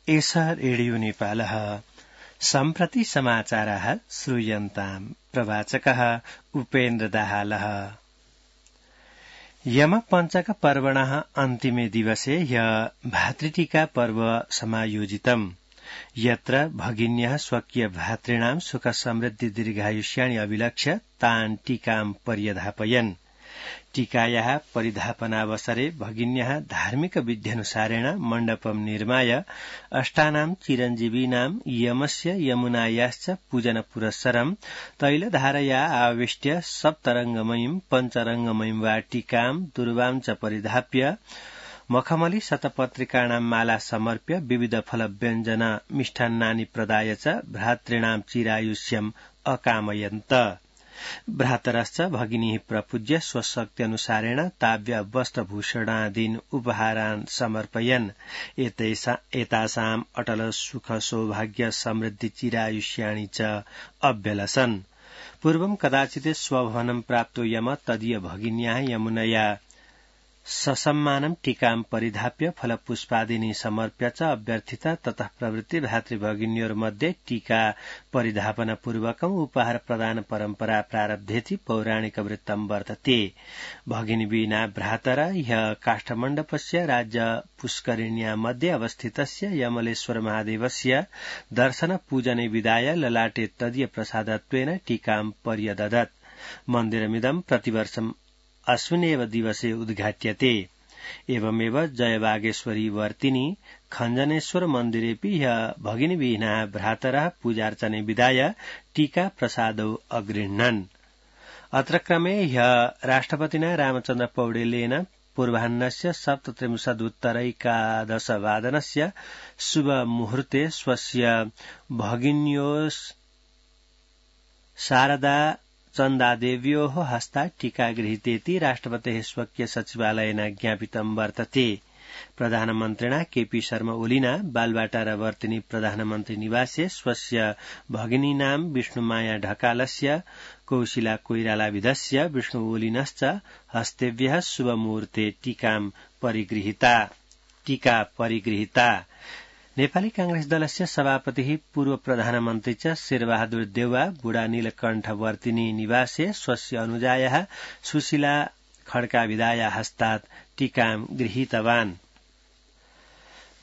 एष रेडियो नेपालः सम्प्रति समाचाराः श्रूयन्ताम् प्रवाचकः उपेन्द्र दाहालः। यमपञ्चक पर्वणः अन्तिमे दिवसे भातृटीका पर्व समायोजितम् यत्र भगिन्यः स्वकीय भातॄणां सुख समृद्धि दीर्घायुष्याणि अभिलक्ष्य तान् टीकाम् पर्यधापयन्। टीकायाः परिधापनावसरे भगिन्यः धार्मिक विध्यनुसारेण मण्डपं निर्माय अष्टानां चिरञ्जीवीनां यमस्य यमुनायाश्च पूजन पुरस्सरं तैलधारया आविष्ट्य सप्तरङ्गमयीं पञ्चरङ्गमयीं वा टीकां दुर्वां च परिधाप्य मखमली शतपत्रिकाणां माला समर्प्य विविध फलव्यञ्जन मिष्टान्नानि प्रदाय च भ्रातॄणां चिरायुष्यम् अकामयन्त। भ्रातरश्च भगिनीः प्रपूज्य स्वशक्त्यनुसारेण ताव्य वस्त्रभूषणादीन् उपहारान् समर्पयन्। एतासाम् अटल सुख सौभाग्य समृद्धि चिरायुष्याणि च अभ्यलसन्। पूर्वं कदाचित् स्वभवनं प्राप्तो यम तदीय भगिन्याः यमुनया ससम्मानं टीकां परिधाप्य फलपुष्पादीनि समर्प्य च अभ्यर्थित। ततः प्रवृत्ति भातृभगिन्योर्मध्ये टीका परिधापनपूर्वकम् उपहार प्रदान परम्परा प्रारब्धेति पौराणिक वृत्तं वर्तते। भगिनी विना भ्रातर ह्यः काष्ठमण्डपस्य राज्य पुष्करिण्यां मध्ये अवस्थितस्य यमलेश्वर महादेवस्य दर्शन पूजने विदाय ललाटे तदीय प्रसादत्वेन टीकां पर्यददत्। मन्दिरमिदं प्रतिवर्षम् अस्मिन्नेव दिवसे उद्घाट्यते। एवमेव जयबागेश्वरी वर्तिनी खञ्जनेश्वर मन्दिरेऽपि ह्यः भगिनीविहीनाः भ्रातरः पूजार्चने विदाय टीका प्रसादौ अगृह्णन्। अत्र क्रमे ह्यः राष्ट्रपतिना रामचन्द्र पौडेलेन पूर्वाह्नस्य 7:30 शुभ मुहूर्ते स्वस्य भगिन्योः शारदा चन्दादेव्योः हस्तात् टीका गृहीतेति राष्ट्रपतेः स्वकीय सचिवालयेन ज्ञापितं वर्तते। प्रधानमन्त्रिणा केपी शर्मा ओलीना बालबाटार वर्तिनी प्रधानमन्त्री निवासे स्वस्य भगिनीनां विष्णुमाया ढकालस्य कौशिला कोइरालाविधस्य विष्णु ओलिनश्च हस्तेभ्यः शुभमुहूर्ते टीका परिगृहीता। नेपाली कांग्रेस दलस्य सभापतिः पूर्व प्रधानमन्त्री च शेरबहादुर देउवा बुढा नीलकण्ठ वर्तिनी निवासे स्वस्य अनुजायाः सुशीला खड्काविदाया हस्तात् टीकां गृहीतवान्।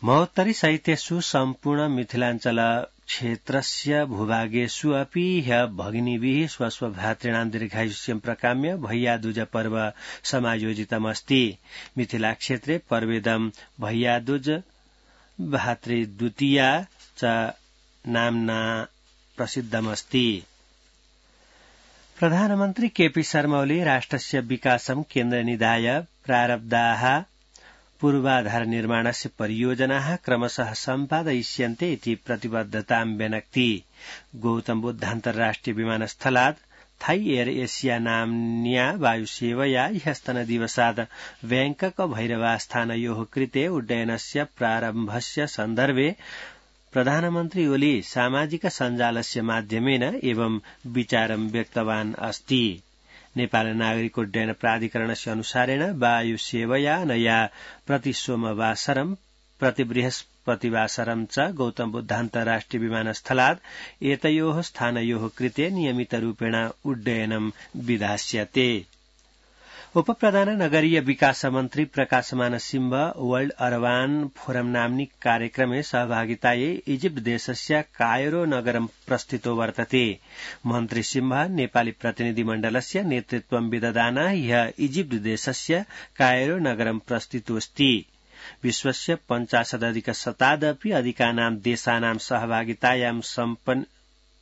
महोत्तरी साहित्येषु सम्पूर्ण मिथिलाञ्चल क्षेत्रस्य भूभागेषु अपि ह्यः भगिनीभिः स्वस्वभ्रातॄणां दीर्घायुष्यं प्रकाम्य भैयादूज पर्व समायोजितमस्ति। मिथिला क्षेत्रे पर्वेदं भैयादूज भातृद्वितीया च नाम्ना प्रसिद्धमस्ति। प्रधानमन्त्री केपी शर्मा ओली राष्ट्रस्य विकासं केन्द्रनिधाय प्रारब्धाः पूर्वाधार निर्माणस्य परियोजनाः क्रमशः सम्पादयिष्यन्ते इति प्रतिबद्धतां व्यनक्ति। गौतम बुद्ध अन्तर्राष्ट्रिय विमानस्थलात् थाई एयर एशिया नाम्न्या वायुसेवया ह्यस्तनदिवसात् बैंकक भैरवास्थानयोः कृते उड्डयनस्य प्रारम्भस्य सन्दर्भे प्रधानमन्त्री ओली सामाजिक सञ्जालस्य माध्यमेन एवं विचारं व्यक्तवान् अस्ति। नेपाल नागरिक उड्डयन प्राधिकरणस्य अनुसारेण वायुसेवया अनया प्रति सोमवासरं प्रति बृहस्पतिवासरं च गौतम बुद्ध अन्तर्राष्ट्रिय विमानस्थलात् एतयोः स्थानयोः कृते नियमितरूपेण उड्डयनं विधास्यते। उपप्रधान नगरीय विकास मन्त्री Prakashman Singh world urban forum नाम्नि कार्यक्रमे सहभागितायै इजिप्ट देशस्य कायरो नगरं प्रस्थितो वर्तते। मन्त्री सिंह नेपाली प्रतिनिधिमण्डलस्य नेतृत्वं विदधान ह्यः इजिप्ट देशस्य कायरो नगरं प्रस्थितोऽस्ति। विश्वस्य 50-अधिक अधिकानां देशानां सहभागितायां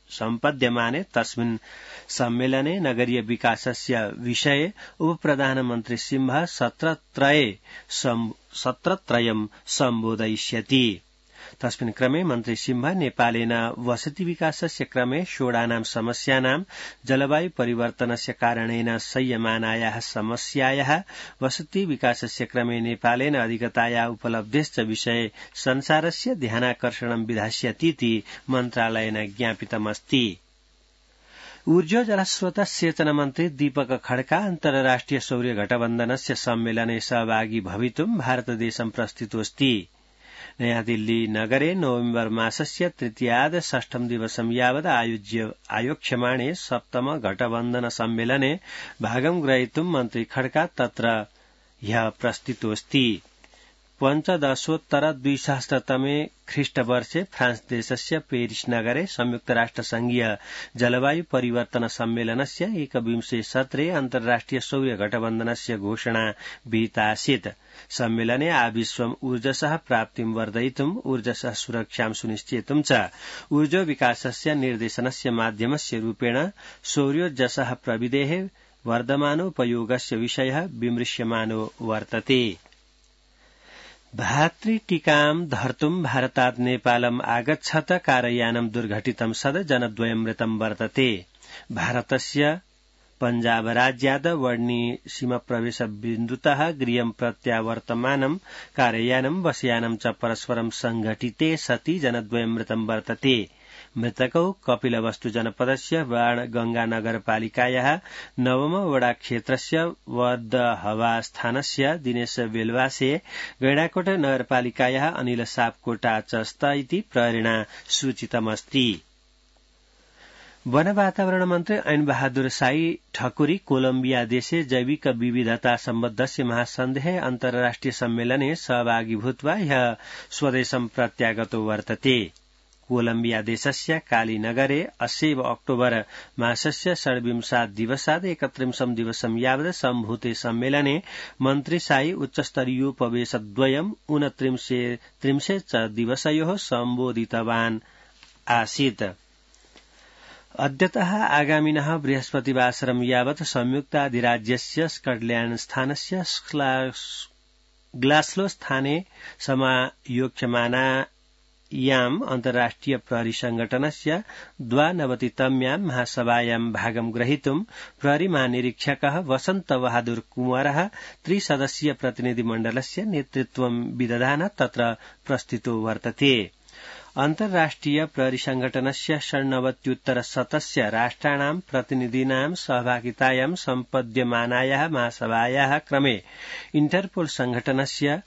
सम्पद्यमाने तस्मिन् सम्मेलने नगरीय विकासस्य विषये उपप्रधानमन्त्री सिंह सत्रत्रयं सम्बोधयिष्यति। तस्मिन् क्रमे मन्त्री सिंह नेपालेन वसति विकासस्य क्रमे षोडानां समस्यानां जलवायु परिवर्तनस्य कारणेन संयमानायाः समस्यायाः वसति विकासस्य क्रमे नेपालेन अधिगतायाः उपलब्धेश्च विषये संसारस्य ध्यानाकर्षणं विधास्यतीति मन्त्रालयेन ज्ञापितमस्ति। ऊर्जा जलस्रोत सेचन मन्त्री दीपक खड्का अन्तर्राष्ट्रिय सौर्य गठबन्धनस्य सम्मेलने सहभागी भवितुं भारतदेशं प्रस्थितोऽस्ति। नयाँ दिल्ली नगरे नवेम्बर मासस्य तृतीयाद षष्ठम दिवसं यावत् आयोक्ष्यमाणे सप्तम घटबन्धन सम्मेलने भागं ग्रहीतुं मन्त्री खड्का तत्र ह्यः प्रस्थितोऽस्ति। पञ्चदशोत्तर 2000तमे ख्रीष्टवर्षे फ्रांस देशस्य पेरिस नगरे संयुक्तराष्ट्रसंघीय जलवायु परिवर्तन सम्मेलनस्य 21 सत्रे अन्तर्राष्ट्रिय सौर्य गठबन्धनस्य घोषणा विहितासीत्। सम्मेलने आविश्वम् ऊर्जसः प्राप्तिं वर्धयितुम् ऊर्जसः सुरक्षां सुनिश्चेतुं च ऊर्जो विकासस्य निर्देशनस्य माध्यमस्य रूपेण सौर्योर्जसः प्रविधेः वर्धमानोपयोगस्य विषयः विमृश्यमानो वर्तते। भातृटीकां धर्तुं भारतात् नेपालम् आगच्छत कारयानं दुर्घटितं सद् जनद्वयं मृतं वर्तते। भारतस्य पञ्जाब राज्यात् वर्णी सीमप्रवेश बिन्दुतः गृहं प्रत्यावर्तमानं कारयानं बसयानं च परस्परं संघटिते सति जनद्वयं मृतं वर्तते। मृतकौ कपिलवस्तु जनपदस्य बाणगंगा नगरपालिकायाः नवम वडा क्षेत्रस्य वर्दहवा स्थानस्य दिनेश बेलवासे, गैंडाकोट नगरपालिकायाः अनिल सापकोटा च स्त इति प्रहरिणा सूचितमस्ति। वन वातावरण मन्त्री ऐन बहादुर साई ठकुरी कोलम्बिया देशे जैविक विविधता सम्बद्धस्य महासन्धेः अन्तर्राष्ट्रिय सम्मेलने सहभागी भूत्वा ह्यः स्वदेशं प्रत्यागतो वर्तते। कोलम्बिया देशस्य कालीनगरे अस्यैव अक्टोबर मासस्य षड्विंशात् दिवसात् 31 दिवसं यावत् सम्भूते सम्मेलने मन्त्री साई उच्चस्तरीयोपवेशद्वयम् 29 च दिवसयोः सम्बोधितवान् आसीत्। अद्यतः आगामिनः बृहस्पतिवासरं यावत् संयुक्ताधिराज्यस्य स्कॉटलैंड स्थानस्य ग्लास्गो स्थाने समायोक्ष्यमानायाम् अन्तर्राष्ट्रिय प्रहरी संघटनस्य 92तम्यां महासभायां भागं ग्रहीतुं प्रहरी महानिरीक्षकः वसन्त बहादुर कुंवरः त्रिसदस्यीय प्रतिनिधिमण्डलस्य नेतृत्वं विदधान तत्र प्रस्थितो वर्तते। अन्तर्राष्ट्रिय प्रहरी संघटनस्य 97-उत्तर-100 राष्ट्राणां प्रतिनिधीनां सहभागितायां सम्पद्यमानायाः महासभायाः क्रमे इंटरपोल संघटनस्य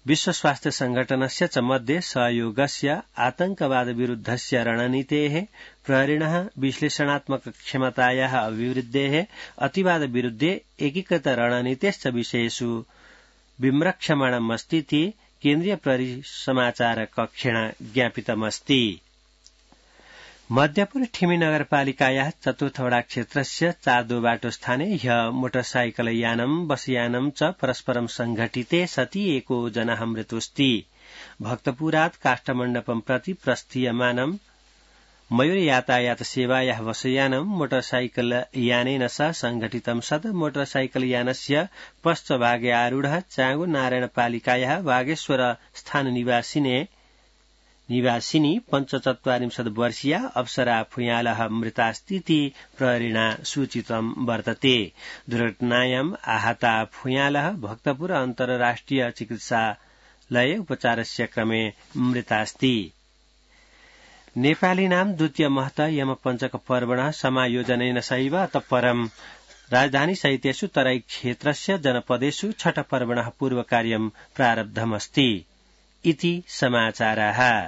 विश्व स्वास्थ्य संघटनस्य च मध्ये सहयोगस्य आतंकवाद विरुद्धस्य रणनीतेः प्रहरिणः विश्लेषणात्मक क्षमतायाः अभिवृद्धेः अतिवाद विरुद्धे एकीकृत रणनीतेश्च विषयेषु विमृक्षमाणमस्तीति केन्द्रीय प्रहरी समाचार कक्षेण ज्ञापितमस्ति। मध्यपुर ठिमी नगरपालिकायाः चतुर्थवडा क्षेत्रस्य चादो स्थाने ह्यः मोटरसाइकलयानं बसयानं च परस्परं संघटिते सति एको जनः मृतोऽस्ति। भक्तपुरात् काष्ठमण्डपं प्रति प्रस्थीयमानं मयूर यातायात सेवायाः बसयानं मोटरसाइकलयानेन सह संघटितं सद् मोटरसाइकलयानस्य पश्चभागे आरूढः चांगु नारायणपालिकायाः वागेश्वर स्थान निवासिनी 45 वर्षीया अप्सरा फुयालः मृतास्तीति प्रहरिणा सूचितं वर्तते। दुर्घटनायाम् आहता फुयालः भक्तपुर अन्तर्राष्ट्रिय चिकित्सालये उपचारस्य क्रमे मृतास्ति। नेपालीनां द्वितीय महत यमपञ्चक पर्वणः समायोजनेन सैव अतः परं राजधानी सहितेषु तराई क्षेत्रस्य जनपदेषु छठ पर्वणः पूर्वकार्यं प्रारब्धमस्ति इति समाचाराः।